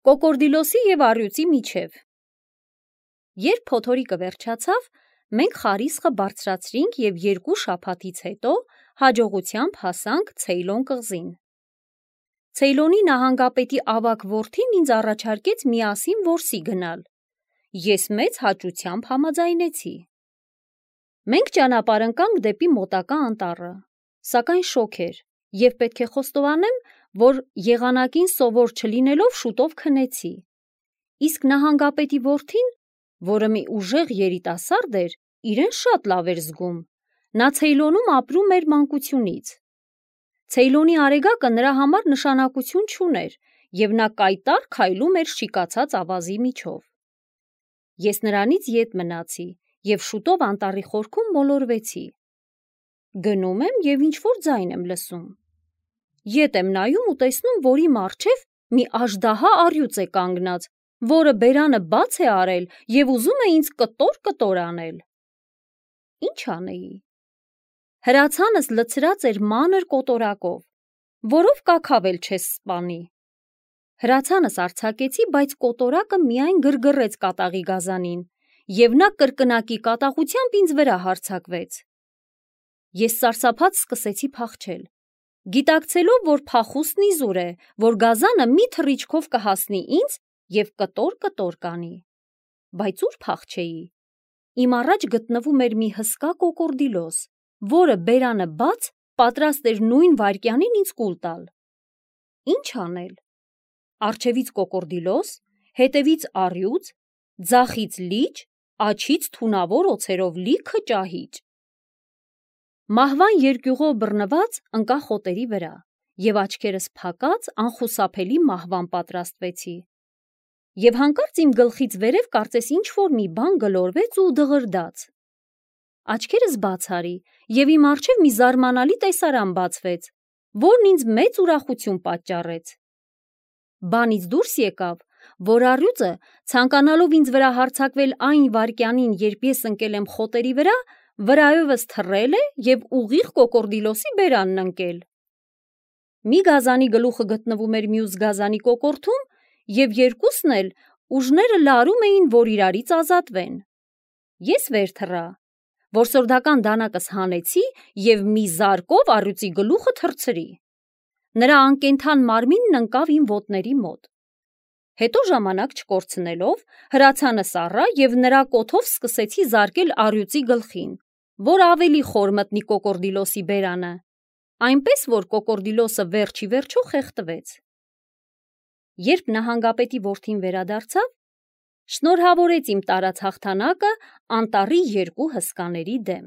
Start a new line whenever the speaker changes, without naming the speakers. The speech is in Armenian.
Կոկորդիլոսի և առյուծի միջև։ Երբ փոթորիկը վերջացավ, մենք խարիսխը բարձրացրինք և 2 շաբաթից հետո հաջողությամբ հասանք Ցեյլոն կղզին։ Ցեյլոնի նահանգապետի ավագ որդին ինձ առաջարկեց միասին որսի գնալ։ Ես մեծ հաճությամբ համաձայնեցի։ Մենք ճանապարհ ընկանք դեպի մոտակա անտառը, սակայն շոգ էր, և պետք է խոստովանեմ, որ եղանակին սովոր չլինելով շուտով քնեցի։ Իսկ նահանգապետի որդին, որը մի ուժեղ երիտասարդ էր, իրեն շատ լավ էր զգում։ Նա Ցեյլոնում ապրում էր մանկությունից։ Ցեյլոնի արեգակը նրա համար նշանակություն չուներ, և նա կայտառ քայլում էր շիկացած ավազի միջով։ Ես նրանից ետ մնացի և շուտով անտառի խորքում մոլորվեցի։ Գնում եմ և ինչ-որ ձայն եմ լսում։ Ետ եմ նայում ու տեսնում, որ իմ առջև մի աժդահա առյուծ է կանգնած, որը բերանը բաց է արել և ուզում է ինձ կտոր անել։ Ինչ անեի։ Հրացանս լցրած էր մանր կոտորակով, որով կաքավ էլ չես սպանի։ Հրացանս արձակեցի, բայց կոտորակը միայն գրգռեց կատաղի գազանին, և նա կրկնակի կատաղությամբ ինձ վրա հարձակվեց։ Ես սարսափած սկսեցի փախչել, գիտակցելով, որ փախուստն իզուր է, որ գազանը մի թռիչքով կհասնի ինձ և կտոր կանի։ Բայց ուր փախչեի։ Իմ առաջ գտնվում էր մի հսկա կոկորդիլոս, որը բերանը բաց պատրաստ էր նույն վայրկյանին ինձ կուլ տալ։ Ինչ անել։ Առջևից կոկորդիլոս, հետևից առյուծ, ձախից լիճ, աջից թունավոր օձերով լիքը ճահիճ։ Մահվան երկյուղով բռնված ընկա խոտերի վրա և աչքերս փակած անխուսափելի մահվան պատրաստվեցի։ Եվ հանկարծ իմ գլխից վերև կարծես ինչ-որ մի բան գլորվեց ու դղրդաց։ Աչքերս բաց արի, և իմ առջև մի զարմանալի տեսարան բացվեց, որն ինձ մեծ ուրախություն պատճառեց։ Բանից դուրս եկավ, որ առյուծը, ցանկանալով ինձ վրա հարձակվել այն վայրկյանին, երբ ես ընկել եմ խոտերի վրա, վրայովս թռել է և ուղիղ կոկորդիլոսի բերանն ընկել։ Մի գազանի գլուխը գտնվում էր մյուս գազանի կոկորդում, և երկուսն էլ ուժները լարում էին, որ իրարից ազատվեն։ Ես վեր թռա, որսորդական դանակս հանեցի և մի զարկով առյուծի գլուխը թռցրի։ Նրա անկենդան մարմինն ընկավ իմ ոտների մոտ։ Հետո ժամանակ չկորցնելով, հրացանս առա և նրա կոթով սկսեցի զարկել առյուծի գլխին, որ ավելի խոր մտնի կոկորդիլոսի բերանը, այնպես որ կոկորդիլոսը վերջ ի վերջո խեղդվեց։ Երբ նահանգապետի որդին վերադարձավ, շնորհավորեց իմ տարած հաղթանակը անտառի 2 հսկաների դեմ։